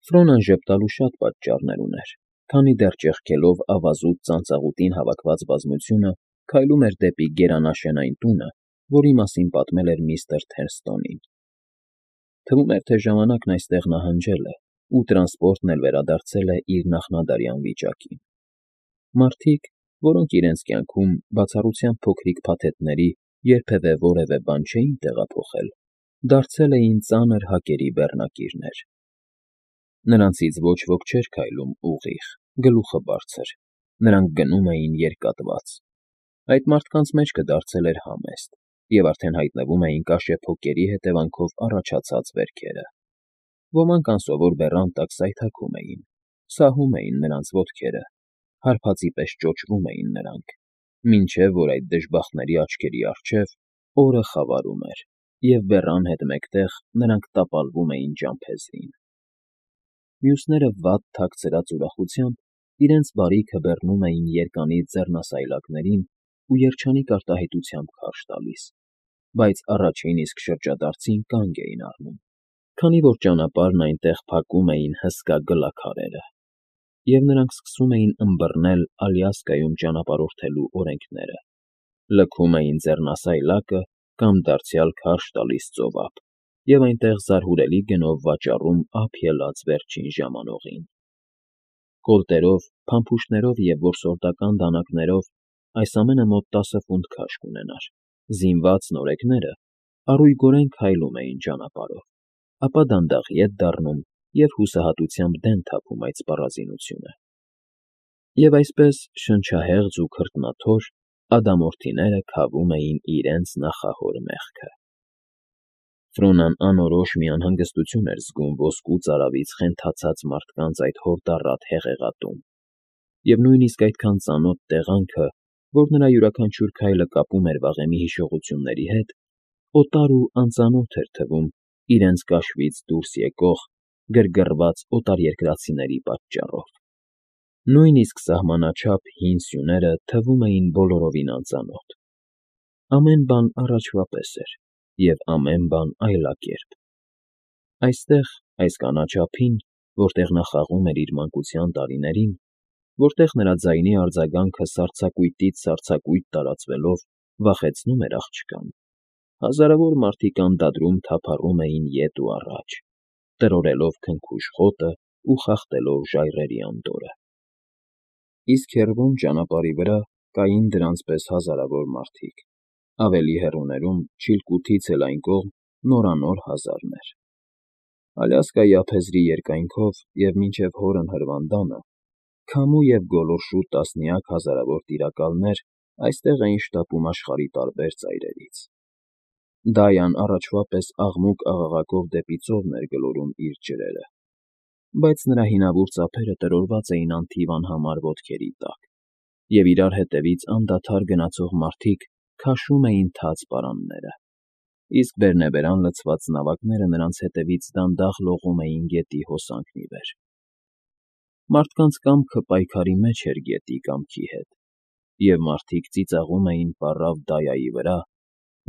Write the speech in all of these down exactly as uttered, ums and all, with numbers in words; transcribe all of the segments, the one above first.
Ֆրոնան ժպտալու շատ պատճառներ ուներ, քանի դեռ ճեղքելով ավազուտ ծանծաղուտին հավաքված բազմությունը քայլում էր դեպի գերանաշենային տունը, որի մասին պատմել էր միստր Թերստոնին։ Թվում էր, թե ժամանակն այստեղ նահանջել է, ու տրանսպորտն էլ վերադարձել է իր նախնադարյան վիճակին։ Մարդիկ, որոնք իրենց կյանքում բացառությամբ փոքրիկ փաթեթների երբևէ որևէ բան չէին տեղափոխել, դարձել էին ծանր հակերի բեռնակիրներ։ Նրանցից ոչ ոք չէր քայլում ուղիղ, գլուխը բարձր, նրանք գնում էին երկատված։ Այդ մարդկանց մեջքը դարձել էր համեստ, և արդեն հայտնվում էին կաշեփոկերի հետևանքով առաջացած վերքերը։ Ոմանք անսովոր բեռան տակ սայթաքում էին, սահում էին նրանց ոտքերը, հարբածի պես ճոճվում էին նրանք, մինչև որ այդ դժբախտների աչքերի առջև օրը խավարում էր, և բեռան հետ մեկտեղ նրանք տապալվում էին ճամփեզին։ Մյուսները վատ թաքցրած ուրախությամբ իրենց բարիքը բեռնում էին երկանից ձեռնասայլակներին ու երջանիկ արտահայտությամբ քարշ տալիս, բայց առաջին իսկ շրջադարձին կանգ էին առնում, քանի որ ճանապարհն այնտեղ փակում էին հսկա գլաքարերը, և նրանք սկսում էին ըմբռնել Ալյասկայում ճանապարհորդելու օրենքները, լքում էին ձեռնասայլակը կամ դարձյալ քարշ տալիս ծովափ և այնտեղ զարհուրելի գնով վաճառում ափ ելած վերջին ժամանողին։ Կոլտերով, փամփուշտներով և որսորդական դանակներով այս ամենը մոտ տասը ֆունտ քաշ կունենար։ Զինված նորեկները առույգորեն քայլում էին ճանապարհով, ապա դանդաղ ետ դառնում և հուսահատությամբ դեն թափում այդ սպառազինությունը։ Եվ այսպես, շնչահեղձ ու քրտնաթոր, ադամորդիները քավում էին իրենց նախահոր մեղքը։ Ֆրոնան անորոշ մի անհանգստություն էր զգում ոսկու ծարավից խենթացած մարդկանց այդ հորդառատ հեղեղատում, և նույնիսկ այդքան ծանոթ տեղանքը, որ նրա յուրաքանչյուր քայլը կապում էր վաղեմի հիշողությունների հետ, օտար ու անծանոթ էր թվում իրենց կաշվից դուրս եկող, գրգռված օտարերկրացիների պատճառով։ Նույնիսկ սահմանաչափ հին սյուները թվում էին բոլորովին անծանոթ։ Ամեն բան առաջվա պես էր, և ամեն բան այլակերպ։ Այստեղ, այս կանաչափին, որտեղ նա խաղում էր իր մանկության տարիներին, որտեղ նրա ձայնի արձագանքը սառցակույտից սառցակույտ տարածվելով վախեցնում էր աղջկան, հազարավոր մարդիկ անդադրում թափառում էին ետ ու առաջ, տրորելով քնքուշ խոտն ու խախտելով ժայռերի անդորրը։ Իսկ հեռվում ճանապարհի վրա կային դրանց պես հազարավոր մարդիկ, ավելի հեռուներում, Չիլկութից էլ այն կողմ, նորանոր հազարներ։ Ալյասկայի ափերզի երկայնքով և մինչև հորն հրվանդանը քամու և գոլորշու տասնյակ հազարավոր տիրակալներ այստեղ էին շտապում աշխարհի տարբեր ծայրերից։ Դայան առաջվա պես աղմուկ֊աղաղակով դեպի ծովն էր գլորում իր ջրերը, բայց նրա հինավուրց ափերը տրորված էին անթիվ անհամար ոտքերի տակ, և իրար հետևից անդադար գնացող մարդիկ քաշում էին թաց պարանները, իսկ բերնեբերան լցված նավակները նրանց հետևից դանդաղ լողում էին գետի հոսանքն ի վեր։ Մարդկանց կամքը պայքարի մեջ էր գետի կամքի հետ, և մարդիկ ծիծաղում էին պառավ Դայայի վրա,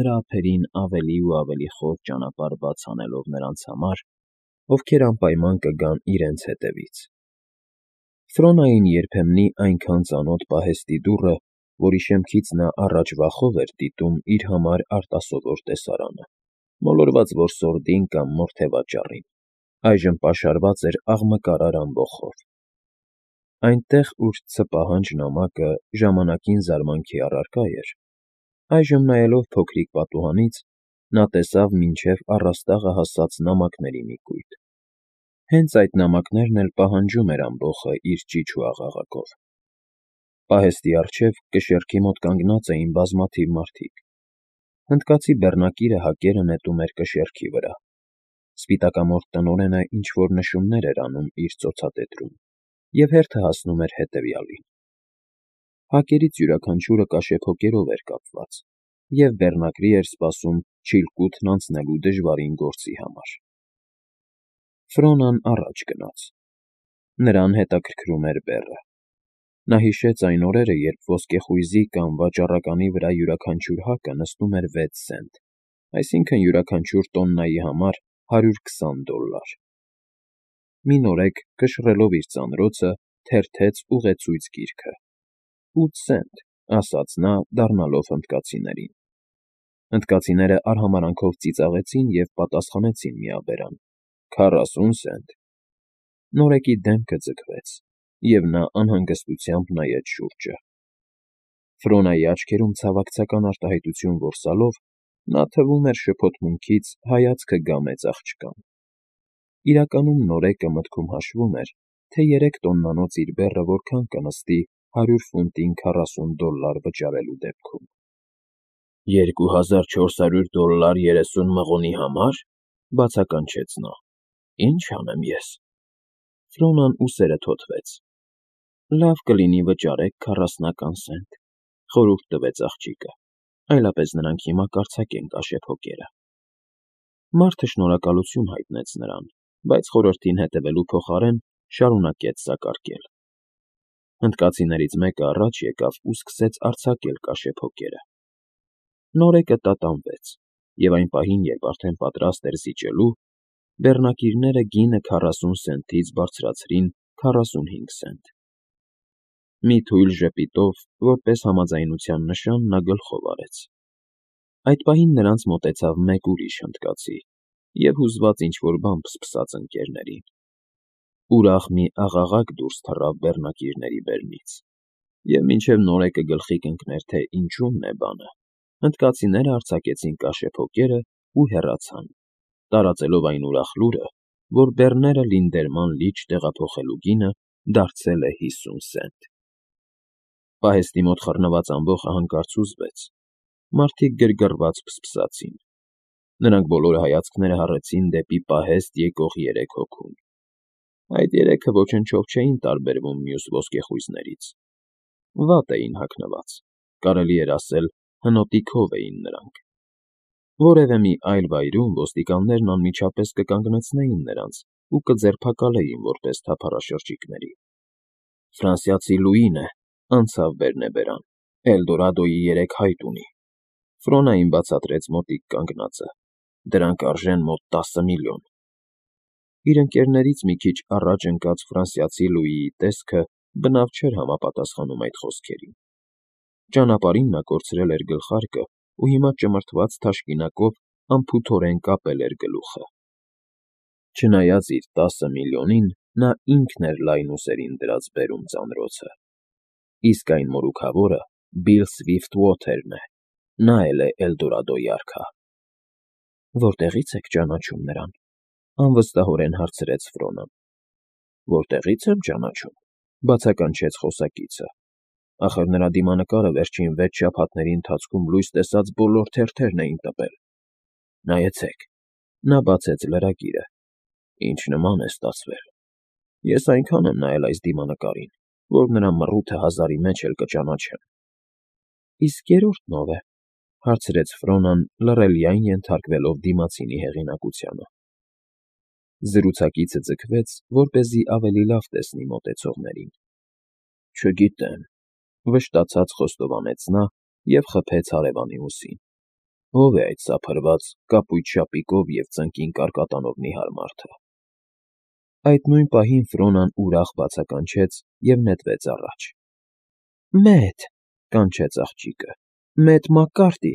նրա ափերին ավելի ու ավելի խոր ճանապարհ բաց անելով նրանց համար, ովքեր անպայման կգան իրենց հետևից։ Ֆրոնային երբեմնի այնքան ծանոթ պահեստի դուռը, որի շեմքից նա առաջ վախով էր դիտում իր համար արտասովոր տեսարանը, մոլորված որսորդին կամ մորթեվաճառին, այժմ պաշարված էր աղմկարար ամբոխով։ Այնտեղ, ուր ցը պահանջ նամակը ժամանակին զարմանքի առարկա էր, այժմ նայելով փոքրիկ պատուհանից, նա տեսավ մինչև առաստաղը հասած նամակների մի կույտ։ Հենց այդ նամակներն էլ պահանջում էր ամբոխը իր ճիչ ու աղաղակով։ Պահեստի առջև կշեռքի մոտ կանգնած էին բազմաթիվ մարդիկ։ Հնդկացի բեռնակիրը հակերը նետում էր կշեռքի վրա։ Սպիտակամորթ տնօրենը ինչ֊որ նշումներ էր անում իր ծոցատետրում, և հերթը հասնում էր հետևյալին. հակերից յուրաքանչյուրը կաշեփոկերով էր կապված, և բեռնակրի էր սպասում Չիլկութն անցնելու դժվարին գործի համար։ Ֆրոնան առաջ գնաց։ Նրան հետաքրքրում էր բեռը։ Նա հիշեց այն օրերը, երբ ոսկեխույզի կամ վաճառականի վրա յուրաքանչյուր հակը նստում էր վեց սենտ, այսինքն՝ յուրաքանչյուր տոննայի համար հարյուր քսան դոլլար։ մի նորեկ, կշռելով իր ծանրոցը, թերթեց ուղեցույց գիրքը։ «Ութ սենտ», ասաց նա, դառնալով հնդկացիներին։ Հնդկացիները արհամարանքով ծիծաղեցին և պատասխանեցին միաբերան. «Քառասուն սենտ»։ Նորեկի դեմքը ձգվեց, և նա անհանգստությամբ նայեց շուրջը։ Ֆրոնայի աչքերում ցավակցական արտահայտություն որսալով, նա թվում էր շփոթմունքից հայացքը գամեց աղջկան։ Իրականում նորեկը մտքում հաշվում էր, թե երեք տոննանոց իր բեռը որքան կնստի հարյուր ֆունտին քառասուն դոլլար վճարելու դեպքում։ «Երկու հազար չորս հարյուր դոլլար երեսուն մղոնի համար,֊ բացականչեց նա,֊ ի՞նչ անեմ ես»։ Ֆրոնան ուսերը թոթվեց։ «Լավ կլինի վճարեք քառասնական սենտ,֊ խորհուրդ տվեց աղջիկը,֊ այլապես նրանք հիմա կարձակեն կաշեփոկերը»։ Մարդը շնորհակալություն հայտնեց նրան, բայց խորհրդին հետևելու փոխարեն շարունակեց սակարկել։ Հնդկացիներից մեկը առաջ եկավ ու սկսեց արձակել կաշեփոկերը։ Նորեկը տատանվեց, և այն պահին, երբ արդեն պատրաստ էր զիջելու, բեռնակիրները գինը քառասուն սենտից բարձրացրին քառասունհինգ սենտ։ Մի թույլ ժպիտով, որպես համաձայնության նշան, նա գլխով արեց։ Այդ պահին նրանց մոտեցավ մեկ ուրիշ հնդկացի և հուզված ինչ֊որ բան փսփսաց ընկերներին։ Ուրախ մի աղաղակ դուրս թռավ բեռնակիրների բերնից, և մինչև նորեկը գլխի կընկներ, թե ինչումն է բանը, հնդկացիները արձակեցին կաշեփոկերն ու հեռացան, տարածելով այն ուրախ լուրը, որ բեռները լինդերման լիճ տեղափոխելու գինը դարձել է հիսուն սենտ։ Պահեստի մոտ խռնված ամբոխը հանկարծ հուզվեց։ Մարդիկ գրգռված փսփսացին։ Նրանք բոլորը հայացքները հառեցին դեպի պահեստ եկող երեք հոգուն։ Այդ երեքը ոչնչով չէին տարբերվում մյուս ոսկեխույզներից։ Վատ էին հագնված, կարելի էր ասել, հնոտի քով էին նրանք։ Որևէ մի այլ վայրում ոստիկաններն անմիջապես կկանգնեցնեին նրանց ու կձերբակալեին որպես թափառաշրջիկների։ «Ֆրանսիացի Լուին է,֊ անցավ բերնեբերան,֊ Էլդորադոյի երեք հայտ ունի»։ Ֆրոնային բացատրեց մոտիկ կանգնածը։ «Դրանք արժեն մոտ տասը միլիոն»։ Իր ընկերներից մի քիչ առաջ ընկած ֆրանսիացի Լուիի տեսքը բնավ չէր համապատասխանում այդ խոսքերին։ Ճանապարհին նա կորցրել էր գլխարկը ու հիմա ճմրթված թաշկինակով անփութորեն կապել էր գլուխը։ Չնայած իր տասը միլիոնին, նա ինքն էր լայնուսերին դրած բերում ծանրոցը։ Իսկ այն մորուքավորը Բիլ Սվիֆթվոթերն է, նա էլ է Էլդորադոյի արքա։ «Որտեղի՞ց եք ճանաչում նրան,֊ անվստահորեն հարցրեց Ֆրոնան։ «Որտեղի՞ց եմ ճանաչում,֊ բացականչեց խոսակիցը,֊ ախր նրա դիմանկարը վերջին վեց շաբաթների ընթացքում լույս տեսած բոլոր թերթերն էին տպել։ Նայեցեք,֊ նա բացեց լրագիրը,֊ ինչ նման է ստացվել։ Ես այնքան եմ նայել այս դիմանկարին, որ նրա մռութը հազարի մեջ էլ կճանաչեմ»։ «Իսկ երրորդն ո՞վ է,֊ հարցրեց Ֆրոնան, լռելիայն ենթարկվելով դիմացինի հեղինակությանը։ Զրուցակիցը ձգվեց, որպեսզի ավելի լավ տեսնի մոտեցողներին։ «Չգիտեմ,֊ վշտացած խոստովանեց նա և խփեց հարևանի ուսին։ Ո՞վ է այդ սափրված, կապույտ շապիկով և ծնկին կարկատանով նիհար մարդը»։ Այդ նույն պահին Ֆրոնան ուրախ բացականչեց և նետվեց առաջ։ «Մեծ,֊ կանչեց աղջիկը,֊ Մեծ Մակկարտի»։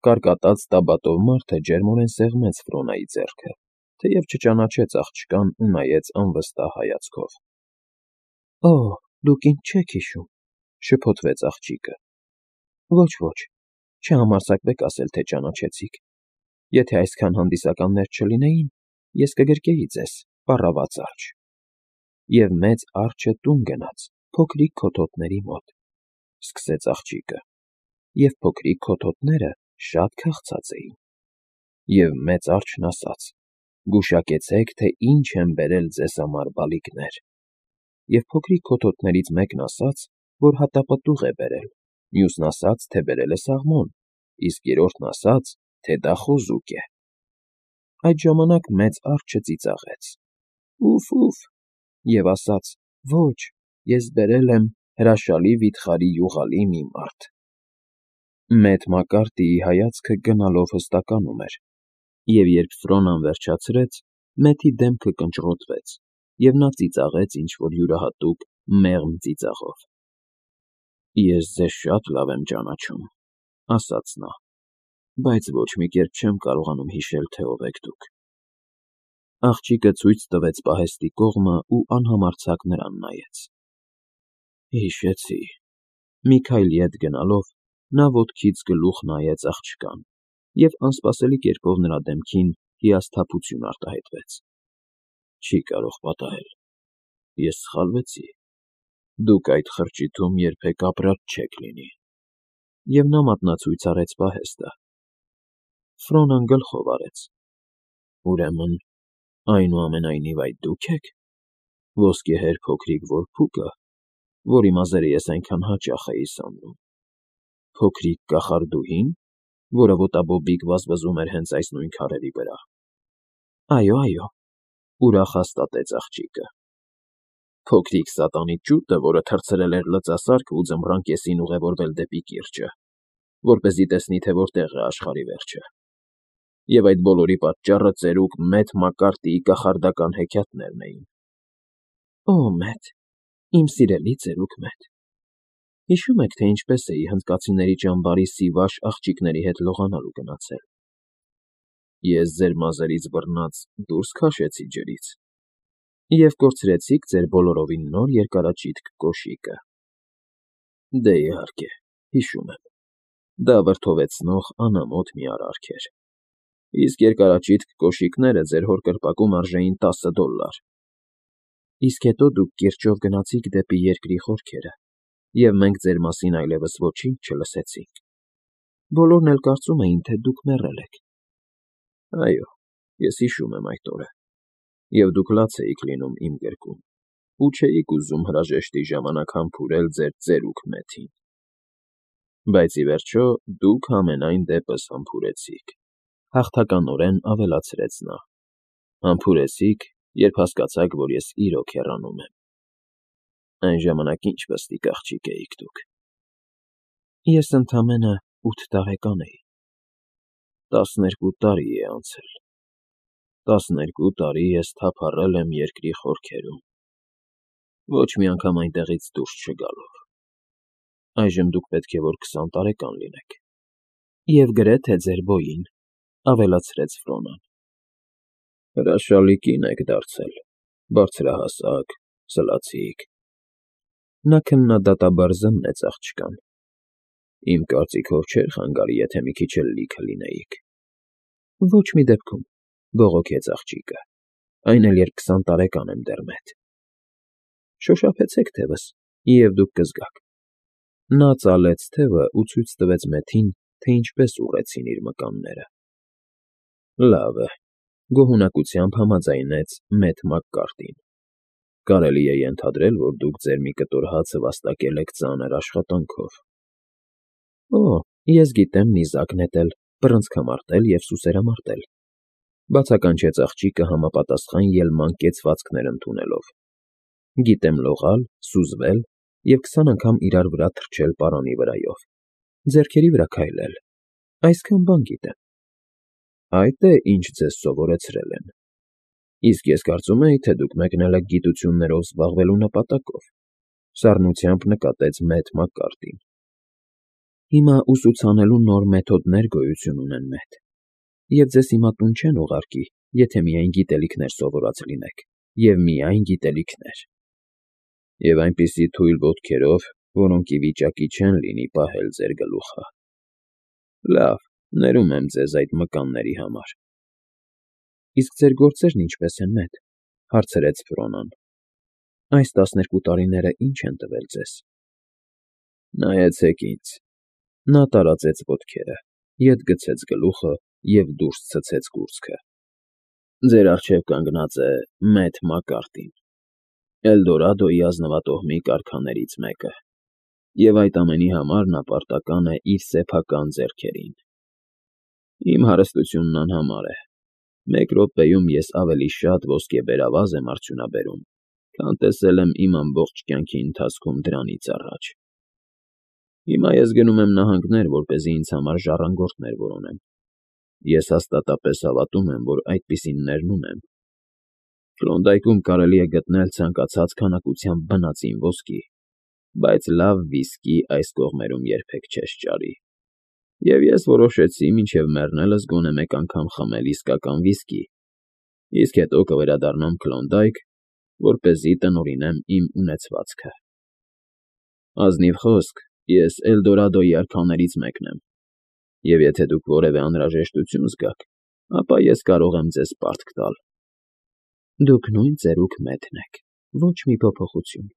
Կարկատած տաբատով մարդը ջերմորեն սեղմեց Ֆրոնայի ձեռքը, թեև չճանաչեց աղջկան ու նայեց անվստահ հայացքով։ «Օ՜, դուք ինձ չեք հիշում,֊ շփոթվեց աղջիկը։ «Ոչ, ոչ, չհամարձակվեք ասել, թե ճանաչեցիք։ Եթե այսքան հանդիսականներ չլինեին, ես կգրկեի ձեզ, պառավաց արջ»։ Եվ մեծ արջը տուն գնաց փոքրիկ քոթոթների մոտ,֊ սկսեց աղջիկը,֊ և փոքրիկ քոթոթները շատ քաղցած էին։ Եվ մեծ արջն ասաց. «Գուշակեցեք, թե ինչ եմ բերել ձեզ համար, բալիկներ»։ Եվ փոքրիկ քոթոթներից մեկն ասաց, որ հատապտուղ է բերել, մյուսն ասաց, թե բերել է սաղմոն, իսկ երրորդն ասաց, թե դա խոզուկ է։ Այդ ժամանակ մեծ արջը ծիծաղեց. «Ուֆ֊ուֆ», և ասաց. «Ոչ, ես բերել եմ հրաշալի վիթխարի յուղալի մի մարդ»։ Մեծ Մակկարտիի հայացքը գնալով հստականում էր, և երբ Ֆրոնան վերջացրեց, Մեթի դեմքը կնճռոտվեց, և նա ծիծաղեց ինչ-որ յուրահատուկ, մեղմ ծիծաղով։ ֊ Ես ձեզ շատ լավ եմ ճանաչում,֊ ասաց նա,֊ բայց ոչ մի կերպ չեմ կարողանում հիշել, թե ով եք դուք։ Աղջիկը ցույց տվեց պահեստի կողմը ու անհամարձակ նրան նայեց։ ֊ Հիշեցի,֊ մի քայլ ետ գնալով, նա ոտքից գլուխ նայեց աղջկան և անսպասելի կերպով նրա դեմքին հիասթափություն արտահայտվեց։ ֊ Չի կարող պատահել, ես սխալվեցի, դուք այդ խրճիթում երբեք ապրած չեք լինի… Եվ նա մատնացույց արեց պահեստը։ Ֆրոնան գլխով արեց։ ֊ Ուրեմն, այնուամենայնիվ այդ դու՞ք եք, ոսկեհեր փոքրիկ որբուկը, որի մազերը ես այնքան հաճախ էի սանրում, փոքրիկ կախարդուհի՞ն, որը ոտաբոբիկ վազվզում էր հենց այս նույն քարերի վրա։ ֊ Այո, այո,֊ ուրախ հաստատեց աղջիկը։ ֊ Փոքրիկ սատանիկ ջուտը, որը թռցրել էր լծասարքը ու ձմռան կեսին ուղևորվել դեպի կիրճը, որպեսզի տեսնի, թե որտեղ է աշխարհի վերջը… Եվ այդ բոլորի պատճառը ծերուկ Մեթ Մակկարտիի կախարդական հեքիաթներն էին։ ֊ Օ՜, Մեթ, իմ սիրելի ծերուկ Մեթ… Հիշո՞ւմ եք, թե ինչպես էի հնդկացիների ճամբարի սիվաշ աղջիկների հետ լողանալու գնացել։ Ես ձեր մազերից բռնած դուրս քաշեցի ջրից և կորցրեցիք ձեր բոլորովին նոր երկարաճիտ կոշիկը։ Դե, իհարկե, հիշում եմ, դա վրդովեցնող անամոթ մի արարք էր, իսկ երկարաճիտ կոշիկները ձեր հոր կրպակում արժեին տասը դոլլար։ Իսկ հետո դուք կիրճով գնացիք դեպի երկրի խորքերը, և մենք ձեր մասին այլևս ոչինչ չլսեցինք։ Բոլորն էլ կարծում էին, թե դուք մեռել եք։ Այո, ես հիշում եմ այդ օրը, և դուք լաց էիք լինում իմ գրկում ու չէիք ուզում հրաժեշտի ժամանակ համբուրել ձեր ծերուկ Մեթին։ Բայց, ի վերջո, դուք համենայն դեպս համբուրեցիք,֊ հաղթականորեն ավելացրեց նա,֊ համբուրեցիք, երբ հասկացաք, որ ես իրոք հեռանում եմ։ Այն ժամանակ ինչ պստիկ աղջիկ էիք դուք։ Ես ընդամենը ութ տարեկան էի։ Տասներկու տարի է անցել։ Տասներկու տարի ես թափառել եմ երկրի խորքերում, ոչ մի անգամ այնտեղից դուրս չգալով։ Այժմ դուք պետք է որ քսան տարեկան լինեք։ Եվ գրեթե ձեր բոյին,֊ ավելացրեց Ֆրոնան։ Հրաշալի կին եք դարձել, բարձրահասակ, սլացիկ… Նա քննադատաբար զննեց աղջկան։ Իմ կարծիքով չէր խանգարի, եթե մի քիչ էլ լիքը լինեիք։ Ոչ մի դեպքում,֊ բողոքեց աղջիկը,֊ այն էլ երբ քսան տարեկան եմ դեռ, Մեթ… Շոշափեցեք թևս, և դուք կզգաք։ Նա ծալեց թևը ու ցույց տվեց Մեթին, թե ինչպես ուռեցին իր մկանները։ Լավ է,֊ գոհունակությամբ համաձայնեց Մեթ Մակկարտին,֊ կարելի է ենթադրել, որ դուք ձեր մի կտոր հացը վաստակել եք ծանր աշխատանքով։ Օ, ես գիտեմ նիզակ նետել, բռնցքամարտել և սուսերամարտել,֊ բացականչեց աղջիկը համապատասխան ելման կեցվածքներ ընդունելով։ Գիտեմ լողալ, սուզվել և քսան անգամ իրար վրա թռչել պարանի վրայով, ձեռքերի վրա քայլել, այսքան բան գիտեմ։ Այդ է, ինչ ձեզ սովորեցրել են։ Իսկ ես կարծում էի, թե դուք մեկնել եք գիտություններով զբաղվելու նպատակով,֊ սառնությամբ նկատեց Մեթ Մակկարտին։ Հիմա ուսուցանելու նոր մեթոդներ գոյություն ունեն, Մեթ, և ձեզ հիմա տուն չեն ուղարկի, եթե միայն գիտելիքներ սովորած լինեք, և միայն գիտելիքներ… Եվ այնպիսի թույլ ոտքերով, որոնք ի վիճակի չեն լինի պահել ձեր գլուխը… Լավ, ներում եմ ձեզ այդ մկանների համար։ Իսկ ձեր գործերն ինչպե՞ս են, Մեթ,֊ հարցրեց Ֆրոնան։ Այս տասներկու տարիները ի՞նչ են տվել ձեզ։ Նայեցեք ինձ։ Նա տարածեց ոտքերը, ետ գցեց գլուխը և դուրս ցցեց կուրծքը։ Ձեր առջև կանգնած է Մեթ Մակկարտին, Էլդորադոյի ազնվատոհմի կառքաներից մեկը, և այդ ամենի համար նա պարտական է իր սեփական ձեռքերին։ Իմ հարստությունն անհամար է։ Մեկ րոպեում ես ավելի շատ ոսկեբերավազ եմ արդյունաբերում, քան տեսել եմ իմ ամբողջ կյանքի ընթացքում դրանից առաջ։ Հիմա ես գնում եմ նահանգներ, որպեսզի ինձ համար ժառանգորդներ որոնեմ։ Ես հաստատապես հավատում եմ, որ այդպիսիններն ունեմ, Քլոնդայքում կարելի է գտնել ցանկացած քանակությամբ բնածին ոսկի, բայց լավ վիսկի այս կողմերում երբեք չես ճարի, և ես որոշեցի մինչև մեռնելս գոնե մեկ անգամ խմել իսկական վիսկի, իսկ հետո կվերադառնամ Քլոնդայք, որպեսզի տնօրինեմ իմ ունեցվածքը։ Ազնիվ խոսք, ես Էլդորադոյի արքաներից մեկն եմ, և եթե դուք որևէ անհրաժեշտություն զգաք, ապա ես կարող եմ ձեզ պարտք տալ։ ֊ Դուք նույն ծերուկ Մեթն եք, ոչ մի փոփոխություն,֊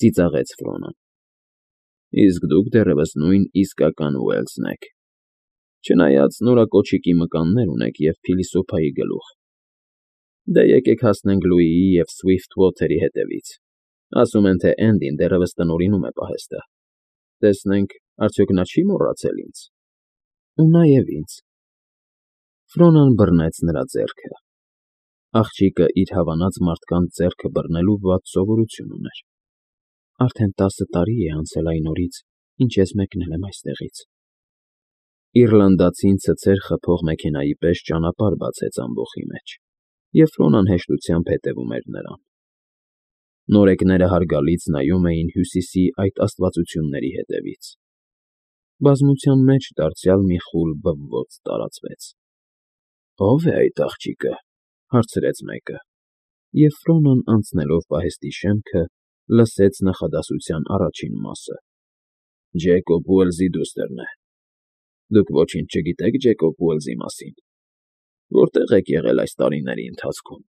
ծիծաղեց Ֆրոնան։ ֊ Իսկ դուք դեռևս նույն իսկական Ուելսն եք, չնայած նորակոչիկի մկաններ ունեք և փիլիսոփայի գլուխ։ Դե եկեք հասնենք Լուիի և Սվիֆթվոթերի հետևից, ասում են, թե Էնդին դեռևս տնօրինում է պահեստը, տեսնենք, արդյոք նա չի՞ մոռացել ինձ։ ֊ Ու նաև ինձ։ Ֆրոնան բռնեց նրա ձեռքը. աղջիկը իր հավանած մարդկանց ձեռքը բռնելու վատ սովորություն ուներ։ Արդեն տասը տարի է անցել այն օրից, ինչ ես մեկնել եմ այստեղից։ Իռլանդացին ցցեր խփող մեքենայի պես ճանապարհ բացեց ամբոխի մեջ, և Ֆրոնան հեշտությամբ հետևում էր նրան։ Նորեկները հարգալից նայում էին Հյուսիսի այդ աստվածությունների հետևից։ Բազմության մեջ դարձյալ մի խուլ բվոց տարածվեց։ ֊ Ո՞վ է այդ աղջիկը,֊ հարցրեց մեկը, և Ֆրոնան, անցնելով պահեստի շեմքը, լսեց նախադասության առաջին մասը. Ջեյկոբ Ուելսի դուստրն է։ Դուք ոչինչ չգիտեք Ջեյկոբ Ուելսի մասին։ Որտե՞ղ եք եղել այս տարիների ընթացքում։